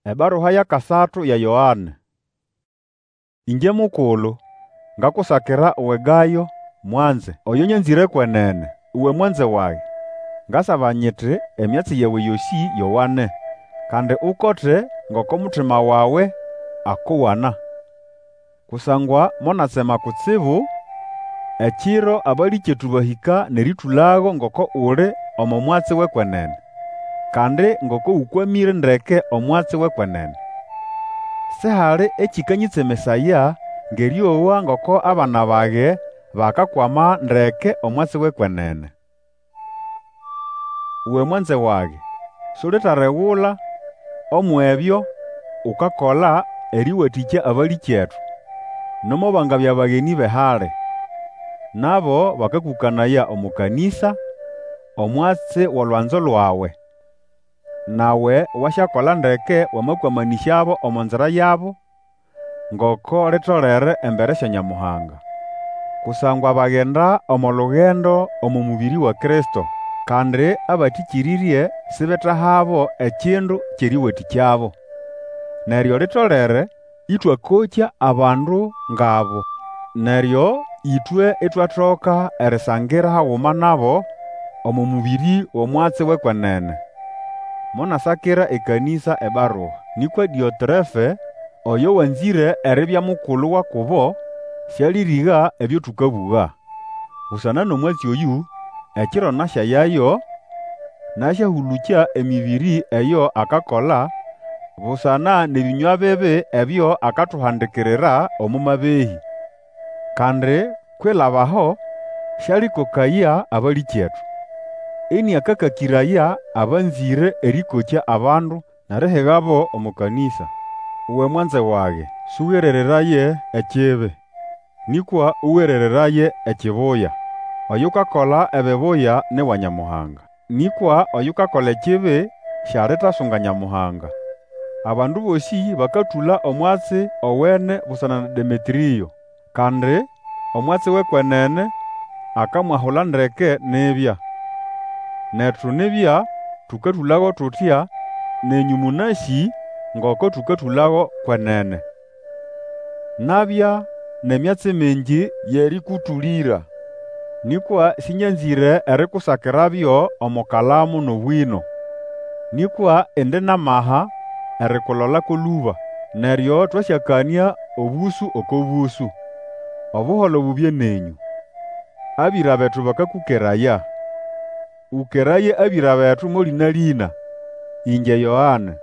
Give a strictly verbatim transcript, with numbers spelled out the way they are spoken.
Ebarua y'akasatu ya Yoane. Ĩngye mukulu, ngakusakira uwe Gayo, mwanze, oyo nyanzĩre kwenene. Uwe mwanze wage, ngasaba nyiti emyatsi yawe yosĩ yowane, kandi ukote ngoko mutima wawe akowana. Kusangwa monatsema kutsibu ekiro abalĩkyetu bahĩka n'erĩtũlago ngoko uli omo mwatsi w'ekwenene, kandi ngoko ũkwamĩre ndeke omwatsi w'ekwenene. Sihali ekĩkanyĩtsemesaya ng'erĩowa ngoko abana bage bakakwama ndeke omwatsi w'ekwenene. Uwe mwanze wage, sulitaregula umw'ebyo ukakola erĩwatĩkya abalĩkyetu, nomo bangabya bagenĩ b'ehali. Nabo bakakũkanaya omo kanĩsa omwatsi w'olwanzo lwawe. Nawe wasyakola ndeke wamakwamanĩsyabo omo nzira yabo, ngoko litolere embere sya Nyamuhanga. Kusangwa bagenda omo lugendo omo mũbĩrĩ wa Kristo, kandi abatĩkĩrĩrye sibetahabo ekindu ky'erĩwatĩkyabo. Neryo litolere ĩtwakokya abandu ng'abo, neryo ĩtwe itwatoka erisangira haguma nabo omo mũbĩrĩ w'omwatsi w'ekwenene. Monasakira ekanĩsa ebarua. Nĩkwa Dĩotrefe, oyo wanzĩre eribya mukulu wa kubo, sĩalĩrĩga ebyo tũkabũga. Busana n'omwatsi oyũ, ekiro nasyayayo, nasyahũlũkya emĩbĩrĩ eyo akakola, busana n'ebĩnywa bibi ebyo akatuhandikirira omo mabehĩ. Kandi kwilaba aho sĩalĩkokaya abalĩkyetu, ĩnĩakakakĩraya abanzĩre erĩkokya abandu n'erihigabo omo kanĩsa. Uwe mwanze wage, sũgerereraye ekibi, nĩkwa ũgerereraye ekibuya. Oyukakola ebibuya ni wa Nyamuhanga, nĩkwa oyukakola ekibi sialitasunga Nyamuhanga. Abandu bosĩ bakatũla omwatsi owene busana na Demetrĩo, kandi omwatsi w'ekwenene akamwahula ndeke nibya. Netu nibya tũkatũlago tutya, nenyũ mũnasĩ ngoko tũkatũlago kwenene. Nabya n'emyatsi mingi y'erĩkũtũlĩra, nĩkwa sĩnyanzĩre erikusakirabyo omo kalamu n'obwĩno. Nĩkwa indi n'amaha erikulola ko lũba, neryo twasyakanĩa obũsũ oko bũsũ. Obuholo bubye nenyũ. Abĩra betu bakakũkeraya. Ũkeraye abĩra betu mo lĩna-lĩna. Ĩngye Yoane.